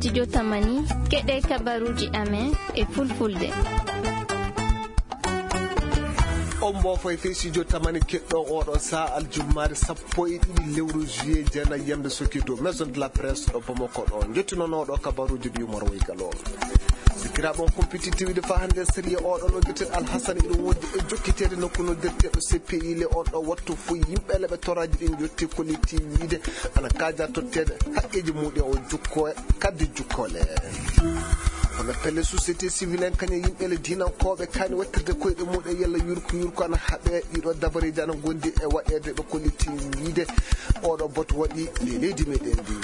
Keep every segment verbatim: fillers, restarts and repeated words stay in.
Studio Tamani, keɗe kabaruji amen e fulfulde. On mbo foy fey studio Tamani keɗɗo oɗo sa aljummaare sappo e ɗiɗi lewru juillet, jeena yande soki dow maison de la presse ɗo Bamako ɗo. Jottinonoɗo kabaruji ɗi Umar Waygal on. Sikiraɓe on compétitivité fa hande sérieux oɗo no jotten Alhassane iɗo wondi e jokkitede nokku no jotten C P I le on ɗo wattu foy yimɓe le ɓe toraji ɗin jotti kolliti wiide ana kaja tottede haqqeji muɗe o jukko kaddi jukkole. Hono pelle société civile en kañum yimɓe le dinankoɓe kani wattirde koyɗe muɗe yalla yurko yurko ana haɓe ɗiɗo dabareji ana gondi e waɗede ɓe kolliti wiide oɗo boto waɗi le leydi meɗen ndi.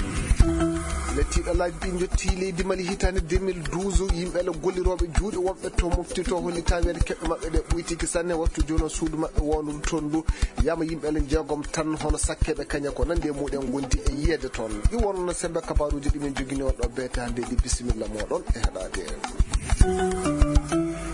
Lettiɗo laabi ɗi jotti leydi Mali hitande deux mille douze, yimɓe le golliroɓe juuɗe wonɓe to mofti to holli tawede keɓɓe maɓɓe ɗe ɓuytiki sanne wattu jono suudu maɓɓe wondudu ton ndu. Yama yimɓe le jeegom tan hono sakkeɓe kaña ko nandi e muɗen gondi e yiyede ton. Ɗi wonno sembe kabaruji ɗi min jogini on ɗo beete hande ɗi, bisimilla moɗon e heɗade.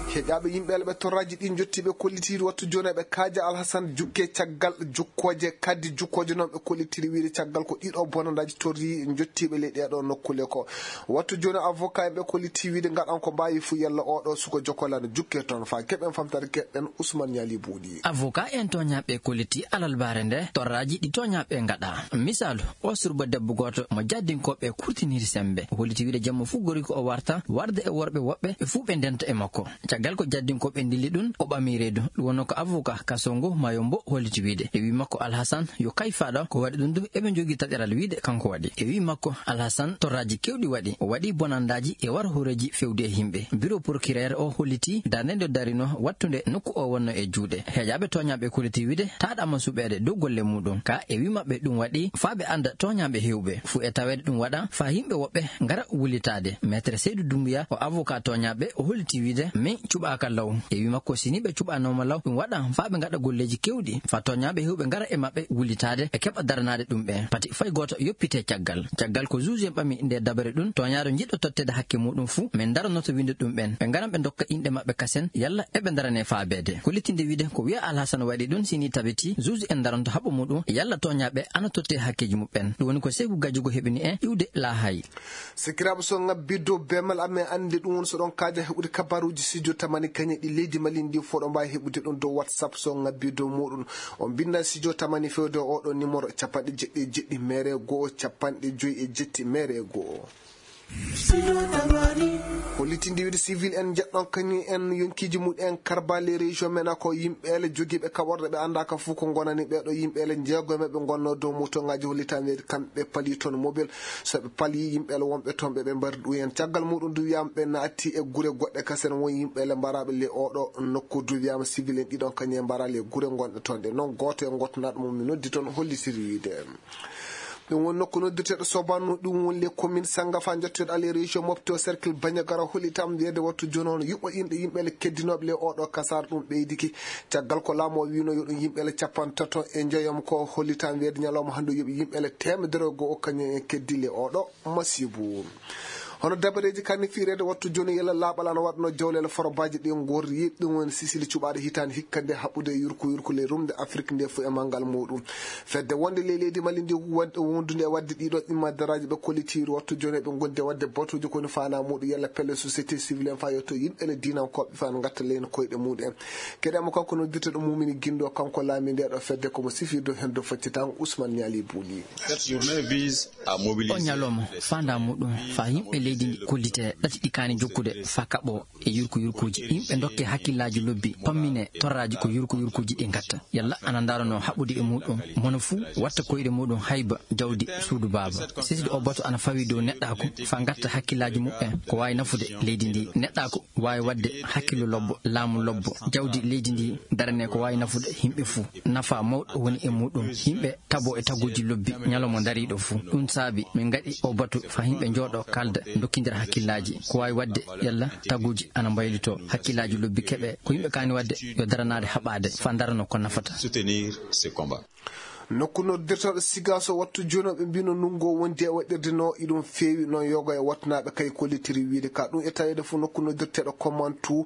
Heƴaɓe yimɓe le ɓe torraji ɗi jottiɓe kollitiɗi wattu jono eɓe kaaja Alhassane jukke caggal jukkoje kaddi jukkoje noon ɓe kollitiɗi wiide caggal ko ɗiɗo bonandaji torri jottiɓe ley ɗeɗo nokkule ko wattu jooni avocat en ɓe kolliti wiide ngaɗan ko mbawi fuu yalla oɗo suko jokolano jukke toon fa keɓen famtare keɗen Ousmane Ñaali Buuɗi. Avocat en toñaɓe kolliti alalbare nde torraji ɗi toñaɓe ngaɗa. Misalu, o surba debbo goto mo jaddinkoɓe kurtiniri sembe. O holliti wiide jamma fuu gori ko o warta warde e worɓe woɓɓe ɓe fuu ɓe ndenta e makko. Caggal ko jaddinkoɓe ndilli ɗum, o ɓami reedu. Ɗum wonno ko avocat kaso ngu Mayombo holliti wiide. E wi makko Alhassane yo kayfaɗo ko waɗi ɗum du eɓe jogii taƴaral wiide kanko waɗi. E wi makko Alhassane torraji kewɗi waɗi. O waɗi bonandaji e war hooreji fewde e yimɓe. Bureau procureur o holliti darnde nde darino wattunde nokku o wonno e juuɗe. Heejaɓe toñaɓe kolliti wiide taɗama suɓeede dow golle muɗum. Ka e wi maɓɓe ɗum waɗi faa ɓe anda toñaɓe hewɓe. Fu e taweede ɗum waɗa faa yimɓe woɓɓe ngara wullitaade. Maître Seydou Doumbouya o avocat toñaɓe o holliti wiide min cuɓaaka law. E wi makko si ni ɓe cuɓanoma law ɗum waɗa faa ɓe ngaɗa golleji kewɗi faa toñaɓe hewɓe ngara e maɓɓe wullitaade e keɓa daranaade ɗum ɓe. Pati fay gooto yoppite caggal. Caggal ko juge en ɓami nde dabare ɗum toñaɗo jiɗɗo tottede hakke muɗum fuu min daronoto winde ɗum ɓen. Ɓe ngaran ɓe dokka inɗe maɓɓe kasen yalla eɓe darane faabeede. Ko littinde wiide ko wiya Alhassane waɗi ɗum si ni tabiti juge en daronto haɓɓo muɗum yalla toñaɓe ana totte hakkeji muɓɓen. Ɗum woni ko Seeku Gajugo heɓini en iwde laahay. Sikiraaɓe, so ngabbi dow beemal amen, annde ɗum woni so ɗon kaaja heɓude kabaruuji studio Tamani kañe ɗi leydi Mali ndi fof ɗo mbaawi heɓude ɗum dow WhatsApp so ngabbi dow muɗum. On mbinnda studio Tamani fewde oɗo numéro capanɗe jeɗɗi e jeɗɗi mere goo capanɗe joyi e jetti mere goo. Studio Tamani. Ko litinde wiide civil en njeɗɗon kañum en yonkiiji muɗum en karbale région men ko yimɓe ele jogiiɓe kaɓorɗe ɓe anndaaka fof ko ngonani ɓeeɗo yimɓe ele jeego men ɓe ngonnoo dow moto ngaaji hollitaande kamɓe pali toon mobile. So ɓe palii yimɓe le wonɓe toon ɓe, ɓe mbari ɗum en. Caggal muɗum du wiyaama ɓe naati e gure goɗɗe kasen won yimɓe le mbaraaɓe le oɗo nokku du wiyaama civil en ɗiɗon kañum en mbaraa le gure ngonɗe toon ɗe. Noon gooto e ngottanaaɗo mum mi noddi toon hollitiri wiide. Ɗum woni nokku noddirteeɗo Sobano, ɗum woni le commune Sangafa, njotteeɗo aller région Mopti o cercle Bandiagara hollitaama wiyeede wattu jooni o no yuɓɓo inɗe yimɓe le keddinooɓe le oɗo kasaara ɗum ɓeydiki. Caggal ko laamu o wiino yo ɗum yimɓe le capanɗe tato e njoyam ko hollitaama wiyeede ñalawma hannde o yoɓi yimɓe le teemedere e go'o kañum en keddi le oɗo masiibu. Hono dabareeji kan ni fiireede wattu jooni yalla laaɓal ana waɗno jawleele forobaaji ɗi ngorri ɗum woni sisili cuɓaaɗo hitaande hikka nde haɓɓude e yurko yurko le rumde Afrik nde fof e manngal muɗum. Fedde wonde ley leydi Mali ndi wonde wondude e waɗde ɗiɗo ɗimma daraaji ɓe kollitiiri wattu jooni ɓe ngondi e waɗde batuuji ko woni faanaa muɗum yalla pelle société civil en faa yetto yimɓe le diinankooɓe faa ngatta leyno koyɗe muɗum en. Keɗe mo kanko noddirteeɗo Mumini Gindo, kanko laami nde ɗo fedde komo sifirde heen dow foccitaan Ousmane Ñaali Buuli. Cette journée vise à mobiliser. O ñalawma faandaa muɗum faa yimɓe leydi ndi kollite ɗati ɗi kaani jokkude faa kaɓo e yurko yurkuuji. Yimɓe ndokke hakkillaaji lobbi, pammine torraaji ko yurko yurkuuji ɗi ngatta. Yalla ana ndaarano haɓɓude e muɗum. Mono fuu watta koyɗe muɗum hayba jawdi suudu baaba. Sisdi o bato ana fawi dow neɗɗaaku faa ngatta hakkillaaji muɓɓen ko waawi nafude leydi ndi. Neɗɗaaku waawi waɗde hakkillo lobbo, laamu lobbo, jawdi leydi ndi darane ko waawi nafude yimɓe fuu. Nafa mawɗo woni e muɗum. Yimɓe tabo e taguuji lobbi ñalawma dariiɗo fuu. Ɗum saabi min ngaɗi o batu faa yimɓe njooɗo kaalda ndokkindira hakkillaaji. Ko waawi waɗde yalla taguuji ana mbaylitoo. Hakkillaaji lobbi keɓe ko yimɓe kaani waɗde yo daranaade haɓaade faa darano ko nafata. Soutenir ce combat. Nokku noddirteeɗo Sigaso wattu jooni o, ɓe mbino ndungu o wondi e waɗirde no iɗum feewi noon yoga e wattanaaɓe kay kollitiri wiide ka ɗum e taweede fof nokku noddirteeɗo Komantu.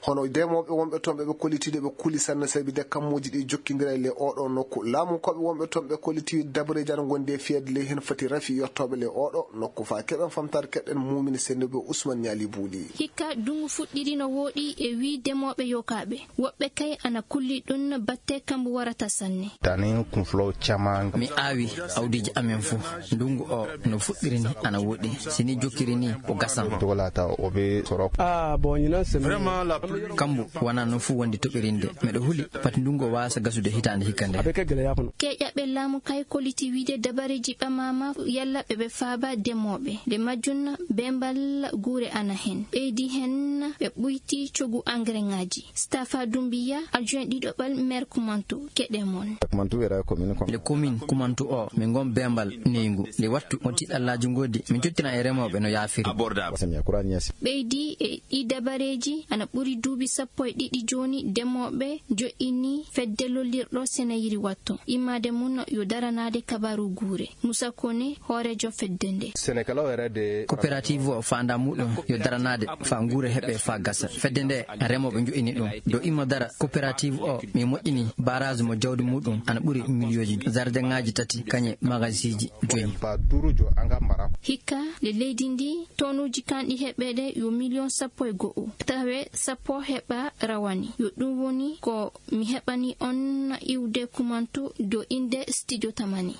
Hono demooɓe wonɓe toon ɓe ɓe kollitiiɗe ɓe kuli sanne sabi de kammuuji ɗi jokkindira e le oɗo nokku. Laamu koɓe wonɓe toon ɓe kollitiiɗe dabareeji ana ngondi e fiyeede ley heen foti rafi yottooɓe le oɗo nokku faa keɓen famtaade keɗen muumini sennduɓe Ousmane Ñaali Buuli. Hikka dungu fuɗɗiri no wooɗi e wii demooɓe yokaaɓe. Woɓɓe kay ana kulli ɗun batte kambu warata sanne. Tani kun fulaw caman. Mi aawi awdiiji amen fu. Ndungu o no fuɗɗiri ni ana woɗi. Si ni jokkiri ni o gasan. Dogolata o be soro. Ah, bon, ñinan semaine. Vraiment, la pluie. Kambu wana no fu wondi toɓirinde. Miɗo huli pati ndungu o waasa gasude hitaande hikka nde. Abe ke gele yakuno. Keƴaɓe laamu kay koliti wiide dabareeji ɓamaama yalla ɓe ɓe faaba demooɓe. Nde majjun bembal guure ana hen. Ɓeydi hen ɓe ɓuyti cogu engrais ŋaaji. Stafa Dumbiya, adjoint ɗiɗoɓal maire Kumantu, keɗe mon. Kumantu wera commune Kumantu. Le commune Kumantu o, min ngon bembal neygu. Le wattu mo tiɗallaaji ngodi, min jottina e remooɓe no yaafiri. Abordable. Wasam ya Kurani yasi. Ɓeydi e ɗi dabareeji ana ɓuri duuɓi sappo e ɗiɗi jooni demooɓe jo'ini fedde lollirɗo Senayiri watto. Immaade mun yo daranaade kabaru guure. Musa Kone, hooreejo fedde nde. Senekalaw yɛrɛ de. Coopérative o faanda muɗum yo daranaade fa nguure heɓe fa gasa. Fedde nde remooɓe njo'ini ɗum. Do imma dara coopérative o mi moƴƴini barrage mo jawdi muɗum ana ɓuri miliyooji. Jardin ŋaaji tati kañe magasiji joyi. Ba durujo anga mbara. Hikka le leydi ndi tonuuji kanɗi heɓeede yo miliyon sappo e go'o. Tawe sappo heɓa rawani. Yo ɗum woni ko mi heɓani on iwde Kumantu do inde studio Tamani.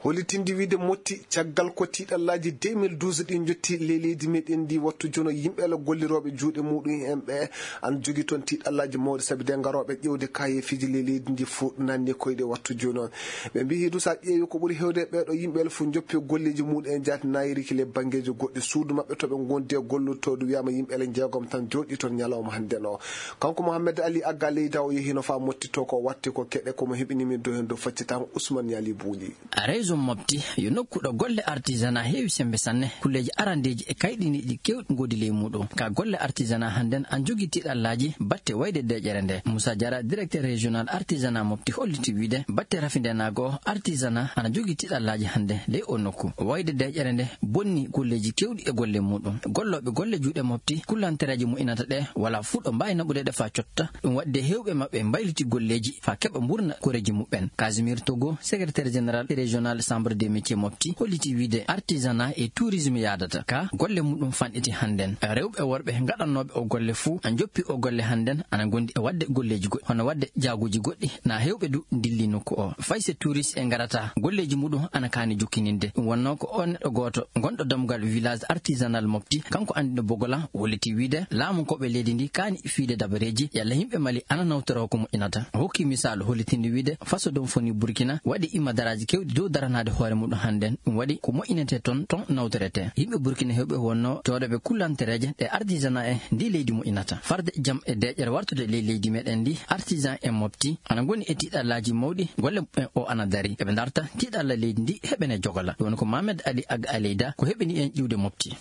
Hollitinde wiide motti caggal ko tiiɗallaaji deux mille douze ɗin njotti ley leydi meɗen ndi wattu jono yimɓe ala gollirooɓe juuɗe muɗum en ɓe an jogi toon tiiɗallaaji mawɗi sabi de ngarooɓe ƴewde kayefiiji ley leydi ndi fof nanni koyɗe wattu jono. Ɓe mbiyi du sa ƴeewi ko ɓuri hewde ɓeeɗo yimɓe ala fof njoppi golleeji muɗum en jaati nayiriki le banngeeji goɗɗi suudu maɓɓe to ɓe ngondi e gollotoodu wiyama yimɓe ala jeegom tan jooɗi toon ñalawma hannde no. Kanko Mohamed Ali Agga leyda o yehino fa mottito ko watti ko keɗe komo heɓini min do hen do faccitan Ousmane Ñaali Buuli. Région Mopti yo nokku ɗo golle artisanat heewi sembe sanne. Kulleeji arandeeji e kayɗiniiɗi keewɗi ngoodi ley muuɗum. Ka golle artisanat hannden an jogii tiiɗallaaji batte wayde deeƴere nde. Moussa Diarra, directeur régional artisanat Mopti, holliti wiide batte rafindenaago o artisanat ana jogii tiiɗallaaji hannde ley o nokku. Wayde deeƴere nde bonni kulleeji keewɗi e golle muuɗum. Gollooɓe golle juuɗe Mopti, kullantereeje moƴƴinata ɗe, wala fuu ɗo mbaawi naɓude ɗe faa cotta. Ɗum waɗde heewɓe maɓɓe mbayliti golleeji faa keɓa mburna koreeji muɓɓen. Casimir Togo, secrétaire général régional Chambre des métiers Mopti, holliti wiide artisanat e tourisme yaadata. Ka golle muɗum fanɗiti hannden. Rewɓe e worɓe gaɗannooɓe o golle fuu, a njoppi o golle hannden, ana ngondi e waɗde golleeji goɗɗi, hono waɗde jaaguuji goɗɗi, na heewɓe du ndilli nokku o. Fay se touriste e ngarata, golleeji muɗum ana kaani jokkininde. Ɗum wonnoo ko o neɗɗo gooto gonɗo dammugal village artisanal Mopti, kanko Andino Bogola, holliti wiide laamu koɓe leydi ndi kaani fiide dabareeji, yalla yimɓe Mali ana nawtoroo ko moƴƴinata. O hokki misaalu hollitinde wiide faso ɗum foni Burkina waɗi immadaraaji keewɗi dow daranaade hoore muɗum hannden. Ɗum waɗi ko moƴƴinetee toon, toon nawtoretee. Yimɓe Burkina heewɓe wonnoo jooɗooɓe kullantereeje ɗe artisanat e ndi leydi moƴƴinata. Farde jam e deeƴere wartude ley leydi meɗen ndi, artisan en Mopti ana ngoni e tiiɗallaaji mawɗi, golle muɓɓen o ana dari. Eɓe darta tiiɗalla leydi ndi heɓene jogola. Ɗum woni ko Mohamed Ali Ag Aleyda ko heɓini en ƴiwde Mopti.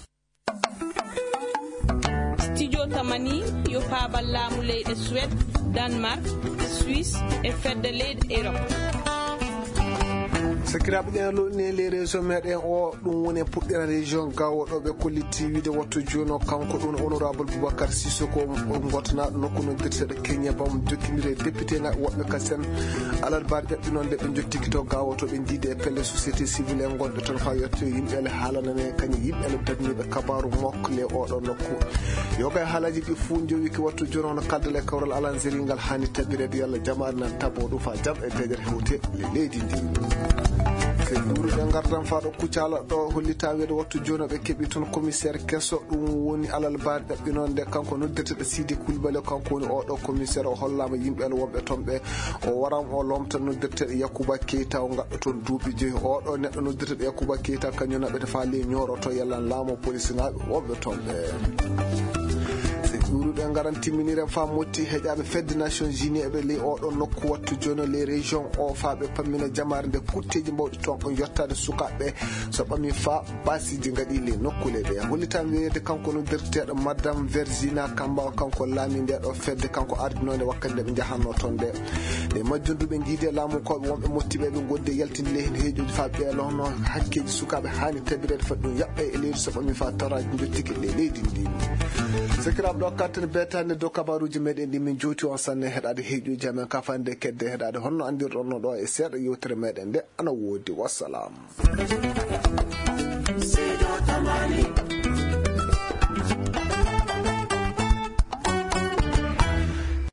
Studio Tamani yo faabal laamu leyɗe Suède, Danemark, Suisse e fedde leyɗe Europe. Sakiraaɓe, ɗen loɗɗini e ley région meɗen o, ɗum woni e puɗɗira région Gao ɗo ɓe kolliti wiide wattu jooni o, kanko ɗum honorable Boubacar Sissoko, o gotanaaɗo nokku noddirteeɗo Kenya bam jokkindiri e député ŋaaɓe woɓɓe ka sen. Alarbaare ƴaɓɓi noon nde ɓe njottiki to Gao to ɓe ndiide e pelle société civile en gonɗo toon faa yetto yimɓe ele haalanane kañum yimɓe ele darniiɓe kabaaru mokko le oɗo nokku. Yoga e haalaaji ɗi fuu njowiki wattu jooni hono kaldal e kawral alanzeri ngal haani tabireede yalla jamaare nan tabo ɗum faa jam e deeƴere hewte le leydi ndi. Ke duuru ɓe ngardan faa ɗo Kucala ɗo hollita weedo wattu jooni ɓe keɓi toon commissaire keso ɗum woni alal baari ɗaɓɓi noon nde kanko noddirteɗo Sidi Koulibaly kanko woni oɗo commissaire o hollaama yimɓe ele wonɓe toon ɓe o waran o lomta noddirteɗo Yakuba Keita o gaɗɗo toon duuɓi joyi oɗo neɗɗo noddirteɗo Yakuba Keita kañum naɓete faa ley ñooroto yalla laamu police ŋaaɓe wonɓe toon ɓe. Se ɗuuru Ɓe ngaran timminiren faa motti heƴaaɓe fedde Nations Unies e ɓe ley oo ɗoo nokku wattu jooni ley région oo faa ɓe pammina jamaare nde kutteeji mbawɗi toon on yottaade sukaaɓe ɓe so ɓami faa baasiiji ngaɗi ley nokkuule ɗe. Hollitaan weeyeede kanko no derteeɗo Madame Vergina Kamba, kanko laami nde ɗoo fedde, kanko ardinoo nde wakkati nde ɓe njahannoo toon nde. Nde majjum du ɓe njiidi e laamu ko ɓe wonɓe mottiɓe ɓe ngoddi e yaltinde ley heen heeƴooji faa ɓeeloono hakkeeji sukaaɓe haani tabireede foti ɗum yaɓɓe e leydi so ɓami faa toraaji njottike ley leydi ndi. Sakiraaɓe ɗo kattan beetaande dow kabaruuji meɗen ɗi min jowti on sanne heɗaade heeƴuuji amen ka fande kedde heɗaade honno anndirɗon no ɗo e seeɗa yewtere meɗen nde ana woodi. Wassalam.